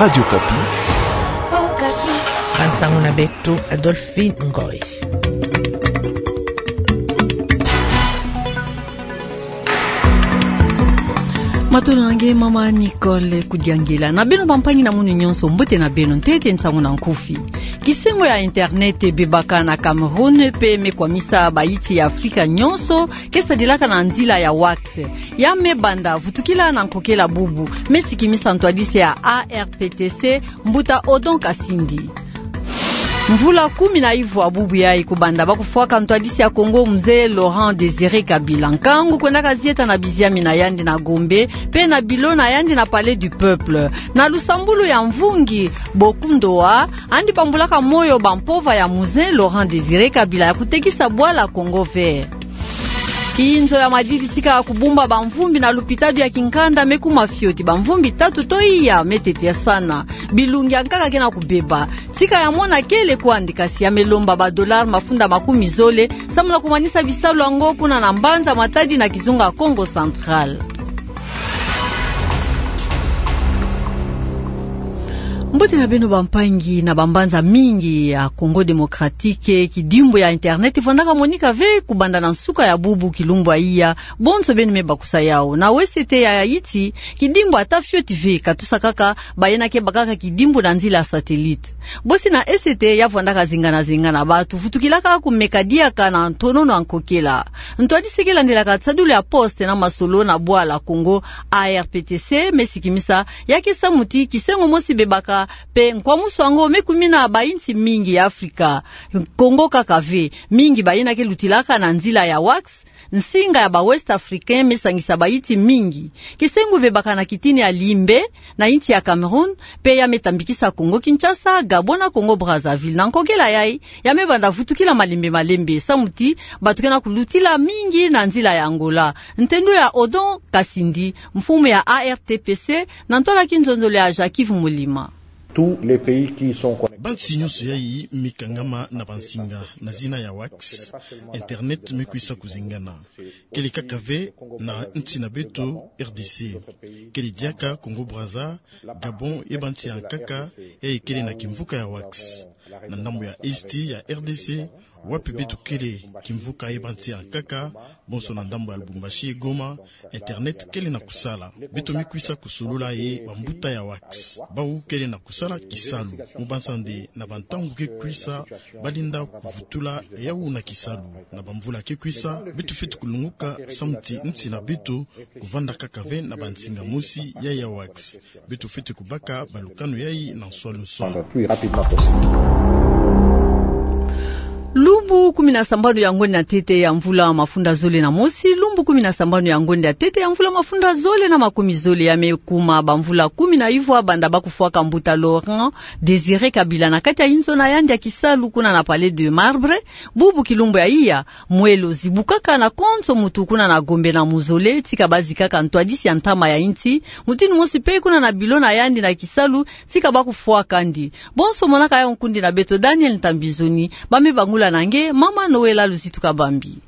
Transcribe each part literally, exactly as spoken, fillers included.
Radio Okapi. Bansango na beto, Adolphine Ngoy. Matondo na nge, mama Nicole Kudiangila. Na beno bampangi na munu nyonso, mbote na beno. Ntete nsango na nkufi. Kisengo ya internet ebebaka na Cameroun, pe me kwamisa bayinsi ya Afrika nyonso ke sadilaka na nzila ya wax. Ya me banda vutukila na nkokela bubu, me sikimisa ntwadisi ya A R P T C, mbuta Odon Kasindi. Mvula kumi na ivwa bubu yayi kubanda ba kufwaka ntwadisi ya Congo, Mzee Laurent Désiré Kabila. Nkangu kwendaka zieta na biziamina yandi na Gombe, pe na bilo na yandi na Palais du Peuple. Na lusambulu ya mvungi Bokundoa, yandi bambulaka moyo bampova ya Mzee Laurent Désiré Kabila ya kutekisa bwala Congo Vert. Kinzo ya madidi tika kubumba bamvumbi na lupitalu ya kinkanda me kuma fioti. Bamvumbi tatu to iya me tetesana. Bilungi ya nkaka ke na kubeba. Tika ya mona kele kwandi, kasi ya me lomba ba dollars mafunda makumi zole, samu na kumanisa bisalu yango kuna na mbanza Matadi na kizunga Kongo Central. Mbote na beno bampangi. Na bambanza mingi ya Congo Démocratique, kidimbu ya internet vwandaka monika ve kubanda na nsuka ya bubu kilumbu ya iya, bonso beno me bakusa yawu. Na Ouest ya Haïti, kidimbu ata fioti ve, katusa kaka bayina ke bakaka kidimbu na nzila satellite. Bosi na Est ya vwandaka zingana-zingana, bantu vutukilaka kumeka diaka na ntonono ya nkokela. Ntwadisi ke landelaka nsadulu ya poste na masolo na bwala Congo, A R P T C, me sikimisa ya ke samu ti kisengo mosi bebaka, pe nkwamusu yango me kumina bayinsi mingi ya Afrika. Congo kaka ve, mingi bayina ke lutilaka na nzila ya wax, nsinga ya ba Ouest Africains me sangisa bayinsi mingi. Kisengo bebaka na kitini ya Limbe, na yinsi ya Cameroun, pe ya me tambikisa Congo Kinshasa, Gabon na Congo Brazzaville. Na nkokela yayi, ya me banda vutukila malembe-malembe, samu ti bantu ke na kulutila mingi na nzila ya Angola. Ntendo ya Odon Kasindi, mfumu ya A R T P C, na ntwala kinzonzolo ya Jacques Yves Mulima. Tous les pays qui sont connectés. Bansi nyonso yayi me kangama na bansinga na zina ya wax, internet me kwisa kuzengana. Kele kaka ve na nsi na beto R D C. Kele diaka Congo Brazza, Gabon ye bansi ya nkaka, yayi kele na kimvuka ya wax. Na ndambu ya Est ya R D C, wapi beto kele, kimvuka ye bansi ya nkaka, bonso na ndambu ya Lubumbashi ye Goma, internet kele na kusala. Beto me kwisa kusolola ye bambuta ya wax. Bawu kele na kusala kisalu. Mu banza nde na bantangu ke kwisa, balenda kuvutula yawu na kisalu. Na bamvula ke kwisa, beto fwete kulunguka samu ti nsi na beto kuvanda kaka ve na bansinga mosi ya ya wax. Beto fwete kubaka balukanu yayi na nswalu-nswalu. Plus rapidement possible. Lumbu kumi na sambanu ya ngonde ya ntete ya mvula mafunda zole na mosi, lumbu kumi na sambanu ya ngonde ya ntete ya mvula mafunda zole na makumi zole, ya me kuma bamvula kumi na ivwa banda ba kufwaka mbuta Laurent Désiré Kabila na kati ya inzo na yandi ya kisalu kuna na Palais de Marbre. Bubu kilumbu ya iya, mwelo zibukaka na konso mutu kuna na Gombe na mausolée tika bazikaka ntwadisi ya ntama ya insi, mutindu mosi pe kuna na bilo na yandi na kisalu tika ba kufwakandi. Bonso monaka yawu nkundi na beto Daniel Ntambizoni, ba me bangula na nge, mama Noëlla Luzitu Kabambi.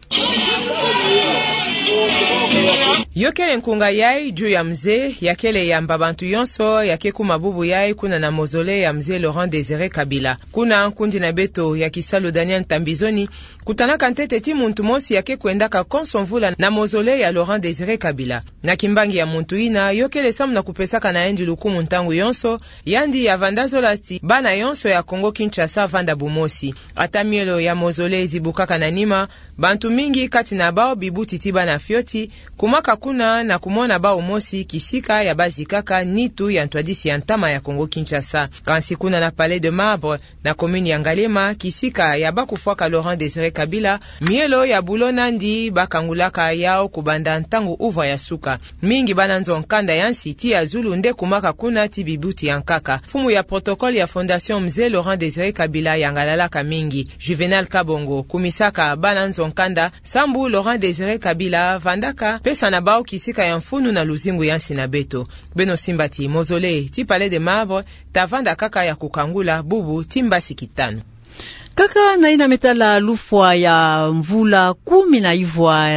Yo kele nkunga yayi, ju ya mzee, ya kele yamba bantu yonso ya ke kuma bubu yayi kuna na mausolée ya mzee Laurent Désiré Kabila. Kuna nkundi na beto ya kisalu Daniel Ntambizoni kutanaka ntete ti muntu mosi ya ke kwendaka konso mvula na mausolée ya Laurent Désiré Kabila. Na kimbangi ya muntu yina, yo kele samu na kupesaka na yandi lukumu ntangu yonso, yandi ya vanda zola ti bana yonso ya Congo Kinshasa vanda bumosi. Ata mielo ya mausolée zibukaka na nima, bantu mingi kati na bawu bibuti ti bana fioti, kumaka kuna na kumona bawu mosi kisika ya bazikaka nitu ya ntwadisi ya ntama ya Congo Kinshasa. Kansi kuna na Palais de Marbre, na commune ya Ngaliema, kisika ya ba kufwaka Laurent Désiré Kabila, mielo ya bulo nandi ba kangulaka yawu kubanda ntangu uvra ya suka. Mingi bana nzo nkanda ya nsi ti ya zulu nde kumaka kuna ti bibuti ya nkaka. Mfumu ya protocole ya Fondation Mzee Laurent Désiré Kabila yangalalaka mingi, Juvénal Kabongo, kumisaka bana nzo nkanda sambu Laurent Désiré Kabila vandaka pesa na bawu kisika ya mfunu na luzingu ya nsi na beto. Beno simba ti mausolée ti Palais de Marbre ta vanda kaka ya kukangula bubu ti mbasi kitanu. Kaka na yina me tala lufwa ya mvula kumi na ivwa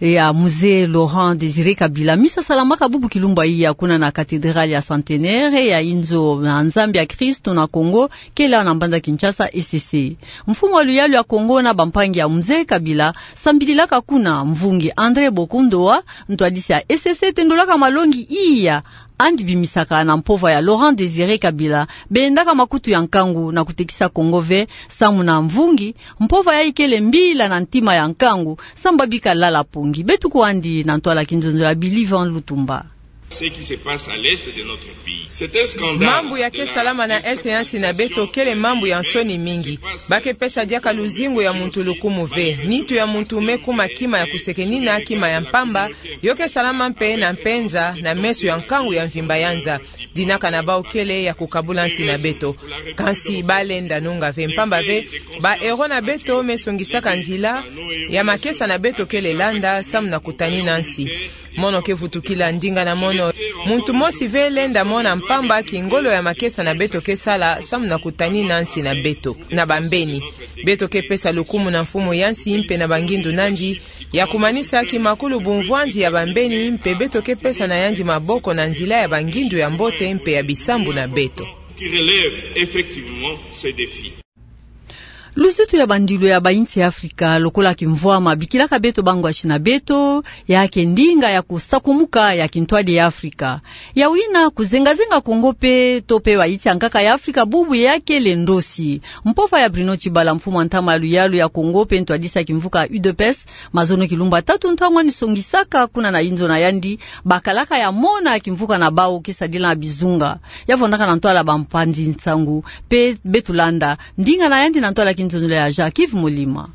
ya Mzee Laurent Désiré Kabila, misa salamaka bubu kilumbu iya kuna na cathédrale ya Centenaire ya inzo na Nzambi ya Kristo na Kongo, kele awa na mbanza Kinshasa, E C C. Mfumu wa luyalu ya Kongo na bampangi ya Mzee Kabila sambililaka kuna. Mvungi André Bokundoa, ntwadisi ya E C C, tendolaka malongi iya andi bimisaka na mpova ya Laurent Désiré Kabila, bendaka makutu ya nkangu na kutekisa Kongo ve, samu na mvungi, mpova yayi kele mbila na ntima ya nkangu, samu babika lala pongi. Beto kwandi na ntwala kinzonzo ya Believe en Lutumba. Ce qui se passe à l'est de notre pays. C'est un scandale. Mambu ya ke salama na est ya nsi na beto kele mambu ya nsoni mingi. Ba ke pesa diaka luzingu ya muntu lukumu ve. Nitu ya muntu me kuma kima ya kusekenina, kima ya mpamba, yo ke salama mpe na mpenza na meso ya nkangu ya mvimba ya nza. Dinaka na bau kele ya kukabula nsi na beto. Kansi ba lenda nunga ve, mpamba ve ba héros na beto me songisaka nzila ya makesa na beto kele landa, samu na kutanina nsi. Mono ke vutukila ndinga na mono. Muntu mosi ve lenda mona mpamba kingolo ya makesa na beto ke sala, samu na kutanina nsi na beto na bambeni. Beto ke pesa lukumu na mfumu ya nsi mpe na bangindu nandi, ya kumanisa kimakulu bumvwanzi ya bambeni, mpe beto ke pesa na yandi maboko na nzila ya bangindu ya mbote mpe ya bisambu na beto. Qui relève effectivement ces défis. Luzitu ya bandilu ya bainsi ya Afrika, lokola kimvwama bikilaka beto bangwashi na beto, ya ke ndinga ya kusakumuka ya kintwadi ya Afrika. Ya wina, kuzengazenga Kongo mpe, to mpe bainsi ya nkaka ya Afrika bubu ya kele ndosi. Mpova ya Bruno Tshibala, mfumu wa ntama ya luyalu ya Kongo mpe ntwadisi ya kimvuka U D P S, mazono kilumbu ya tatu ntangu ani songisaka kuna na inzo na yandi, bakalaka ya mona kimvuka na bau ke sadila na bizunga. Ya vwandaka na ntwala bampanzi nsangu, mpe beto landa ndinga na yandi na ntwala kinzonzolo ya Jacques Yves Molima.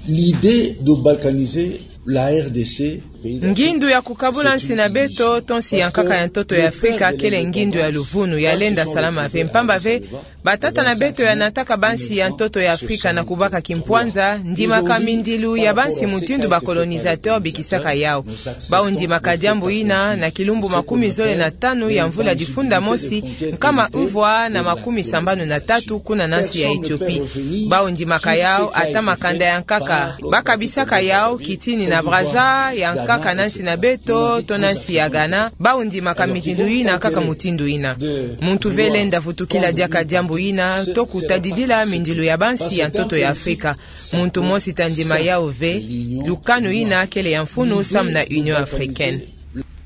L'idée de balkaniser la R D C, ngindu ya kukabula nsi na beto to nsi ya nkaka ya ntoto ya Afrika, kele ngindu ya luvunu, ya lenda salama ve, mpamba ve batata na beto ya nataka bansi ya ntoto ya Afrika na kubaka kimpwanza, ndimaka mindilu ya bansi mutindu ba colonisateur bikisaka yau. Bau ndimaka diambu yina na kilumbu makumi zole na tanu ya mvula difunda mosi, nkama mvwa na makumi sambanu na tatu, kuna na nsi ya Ethiopie. Bau ndimaka yau ata makanda ya nkaka ba kabisaka yau, Kitini na Brazza ya nkaka na nsi na beto to na nsi ya Ghana, bau ndimaka mitindu yina kaka mutindu yina. Muntu ve lenda vutukila diaka diambu yina to kutadidila mindilu ya bansi ya ntoto ya Afrika. Muntu mosi ta ndima yau ve. Lukanu yina kele ya mfunu samu na Union Africaine.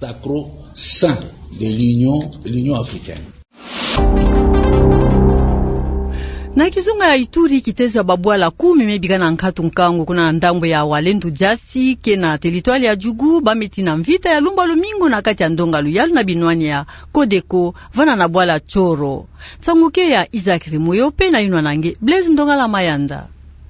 Sacro-saint de l'Union, l'Union Africaine. Na kizunga ya Ituri, kitezo ya babwala kumi me bika na nkatu nkangu kuna na ndambu ya Walendu Diasi, ke na territoire ya Djugu, ba me tina mvita ya lumbu lumingu na kati ya ndonga luyalu na binwani ya Codeco, vana na bwala Tsoro. Nsangu ke ya Isaac Remoyo mpe nayinwa na nge Blaise Ndongala Mayanda.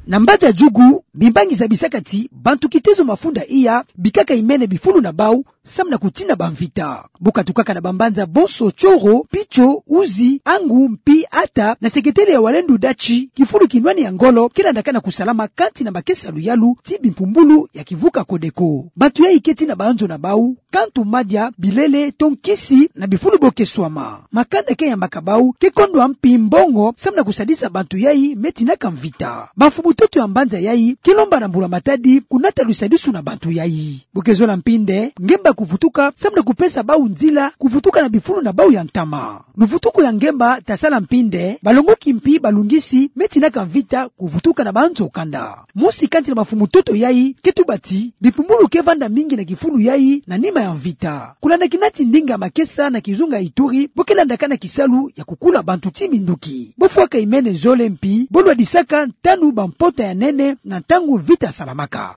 Na mbanza Djugu, bimbangi zabisaka ti bantu kitezo mafunda iya bikaka imene bifulu na bau samu na kutina bamvita. Bu katukaka na bambanza bonso Tsoro, Pitso, Uzi, Angu, Mpi, Ata na seketele ya Walendu Diasi, kifulu kinwani ya ngolo ke landakana kusalama kati na makesa luyalu ti bimpumbulu ya kivuka Codeco. Bantu yayi ke tina banzo na bau, kantu madia, bilele to nkisi na bifulu bo ke swama. Makanda ke yambaka bau ke kondwa mpi mbongo samu na kusadisa bantu yayi me tinaka mvita. Bamfumu-ntoto ya mbanza yayi ke lomba na mbula-matadi kunata lusadisu na bantu yayi. Bu ke zola mpi nde, ngemba kuvutuka samu na kupesa bau nzila kuvutuka na bifulu na bau ya ntama. Luvutuku ya ngemba ta sala mpi nde, balongoki mpi balungisi me tinaka mvita kuvutuka na banzo kanda. Mosi kati na bamfumu-ntoto yayi ke tuba ti bimpumbulu ke vanda mingi na kifulu yayi na nima ya mvita. Kulanda kinati ndinga ya makesa na kizunga ya Ituri, bo ke landakana kisalu ya kukula bantu ti minduki. Bo fwaka imene zole mpi bo lwadisaka ntanu bampota ya nene na ntangu mvita salamaka.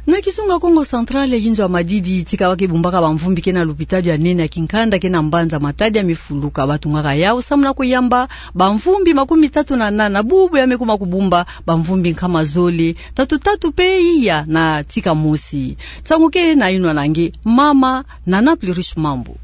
Na kizunga Kongo Central, yinzo ya madidi tika ba ke bumbaka bamvumbi ke na lupitalu ya nene ya kinkanda ke na mbanza Matadi ya me fuluka. Ba tungaka yau samu na kuyamba bamvumbi makumi tatu na nana bubu ya me kuma kubumba bamvumbi nkama zole, tatu tatu mpe iya na tika mosi. Nsangu ke nayinwa na nge mama Nana Plurish Mambu.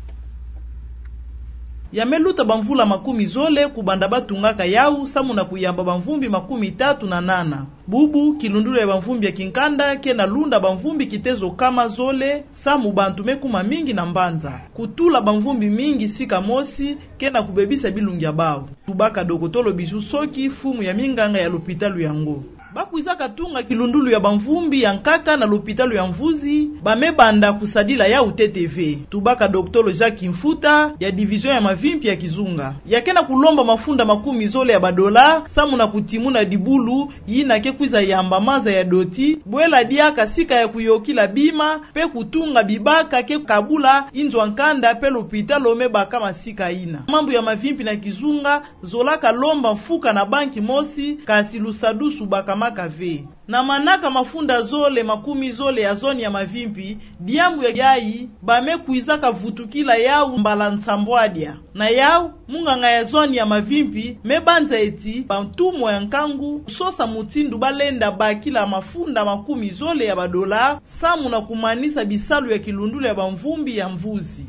Ya me luta bamvula makumi zole kubanda batungaka yau, samu na kuyamba bamvumbi makumi tatu na nana. Bubu, kilundulu ya bamvumbi ya kinkanda ke na lunda bamvumbi kitezo kama zole, samu bantu me kuma mingi na mbanza. Kutula bamvumbi mingi sika mosi ke na kubebisa bilungi ya bau. Tubaka dokotolo Bijou Soki, fumu ya minganga ya lopitalo yango. Ba kwizaka tunga kilundulu ya bamvumbi ya nkaka na lopitalo ya Mvuzi, ba me banda kusadila yau ntete ve. Tubaka dokotolo Jacques Mfuta, ya division ya mavimpi ya kizunga. Ya ke na kulomba mafunda makumi zole ya badola, samu na kutimuna dibulu yina ke kwiza yamba maza ya doti, bwela diaka sika ya kuyokila bima, pe kutunga bibaka ke kabula inzo ya nkanda pe lopitalo me baka masika yina. Mambu ya mavimpi na kizunga, zolaka lomba mfuka na banki mosi, kasi lusadusu bakamaka ve. Na manaka mafunda zole makumi zole ya zone ya mavimpi, diambu ya yayi, ba me kwizaka vutukila yau mbala nsambwadia. Na yau, munganga ya zone ya mavimpi me banza eti bantumwa ya nkangu kusosa mutindu ba lenda bakila mafunda makumi zole ya badola, samu na kumanisa bisalu ya kilundulu ya bamvumbi ya Mvuzi.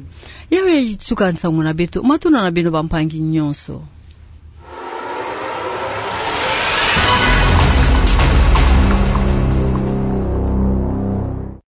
Yau yayi suka nsangu na beto, matondo na beno bampangi nyonso.